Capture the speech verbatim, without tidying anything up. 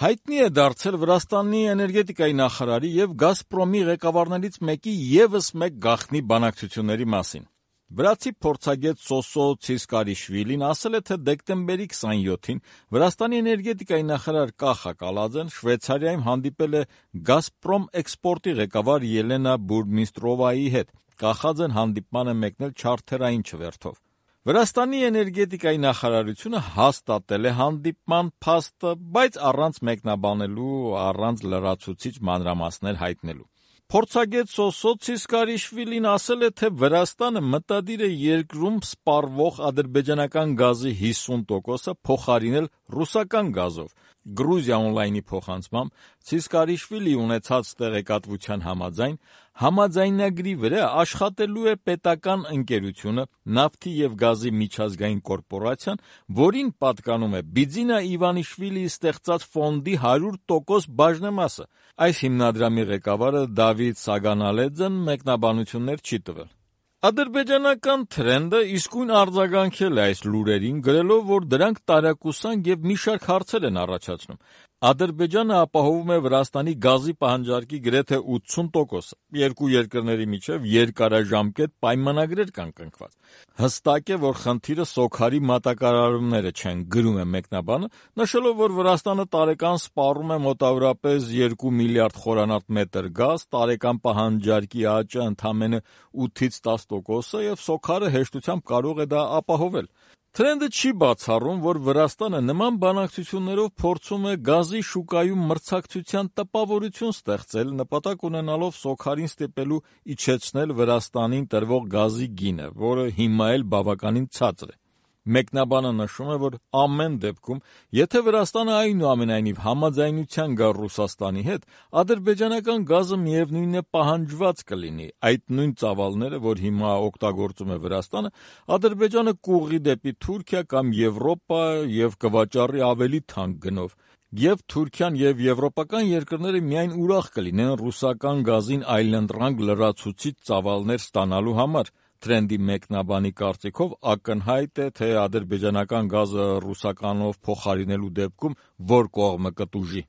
Հայտնի է դարձել Վրաստանի էներգետիկայի նախարարի եւ Գազպրոմի ղեկավարներից մեկի եւս մեկ գաղտնի բանակցությունների մասին։ Վրացի փորձագետ Սոսո Ցիսկարիշվիլին ասել է, թե դեկտեմբերի քսաներկուին Վրաստանի էներգետիկայի նախարար Կախա Կալաձեն Շվեյցարիայում հանդիպել է Գազպրոմ էքսպորտի ղեկավար Ելենա Բուրմիստրովայի հետ։ Կախաձեն հանդիպման է մեկնել չարթերային չվերթով։ Վրաստանի էներգետիկայի նախարարությունը հաստատել է հանդիպման փաստը, բայց առանց մեկնաբանելու, առանց լրացուցիչ մանրամասներ հայտնելու։ Փորձագետ Սոսո Ցիսկարիշվիլին ասել է, թե Վրաստանը մտադիր է երկրում սպառվող ադրբեջանական գազի հիսուն տոկոսը փոխարինել ռուսական գազով։ Գրուզիա օնլայնի փոխանցմամբ Ցիսկարիշվիլի ունեցած տեղեկատվության համաձայն համաձայնագրի վրա աշխատելու է պետական ընկերությունը Նավթի եւ գազի միջազգային կորպորացիան, որին պատկանում է Բիձինա Իվանիշվիլիի ստեղծած ֆոնդի հարյուր տոկոս բաժնեմասը։ Այս հիմնադրամի ղեկավարը Դավիթ Սագանալեձեն մեկնաբանություններ չի տվել։ Ադրբեջանական թրենդը իսկույն արձագանքել է այս լուրերին, գրելով, որ դրանք տարակուսանք եւ մի շարք հարցեր են առաջացնում։ Ադրբեջանը ապահովում է Վրաստանի գազի պահանջարկի գրեթե ութսուն տոկոսը։ Երկու երկրների միջև երկարաժամկետ պայմանագրեր կան կնքված։ Հստակ է, որ խնդիրը սոքարի մատակարարումները չեն, գրում է մեկնաբանը, նշելով, որ Վրաստանը տարեկան սպառում է մոտավորապես երկու միլիարդ խորանարդ մետր գազ, տարեկան պահանջարկի աճը ընդամենը ութից տաս տոկոս է եւ սոքարը հեշտությամբ կարող է դա ապահովել։ Թրենդը չի բացառում, որ Վրաստանը նման բանակցություններով փորձում է գազի շուկայում մրցակցության տպավորություն ստեղծել, նպատակ ունենալով սոքարին ստիպելու իջեցնել Վրաստանին տրվող գազի գինը, որը հիմա էլ բավականին ցածր է։ Մեկնաբանը նշում է, որ ամեն դեպքում, եթե Վրաստանը այնուամենայնիվ համաձայնության գա Ռուսաստանի հետ, ադրբեջանական գազը միևնույն է պահանջված կլինի։ Այդ նույն ծավալները, որ հիմա օգտագործում է Վրաստանը, Ադրբեջանը կուղղի դեպի Թուրքիա կամ Եվրոպա եւ կվաճառի ավելի թանկ գնով։ Եվ Թուրքիան եւ եվրոպական երկրները միայն ուրախ կլինեն ռուսական գազին այլընտրանք լրացուցիչ ծավալներ ստանալու համար։ Թրենդի մեկնաբանի կարծիքով ակնհայտ է, թե ադրբեջանական գազը ռուսականով փոխարինելու դեպքում որ կողմը կտուժի։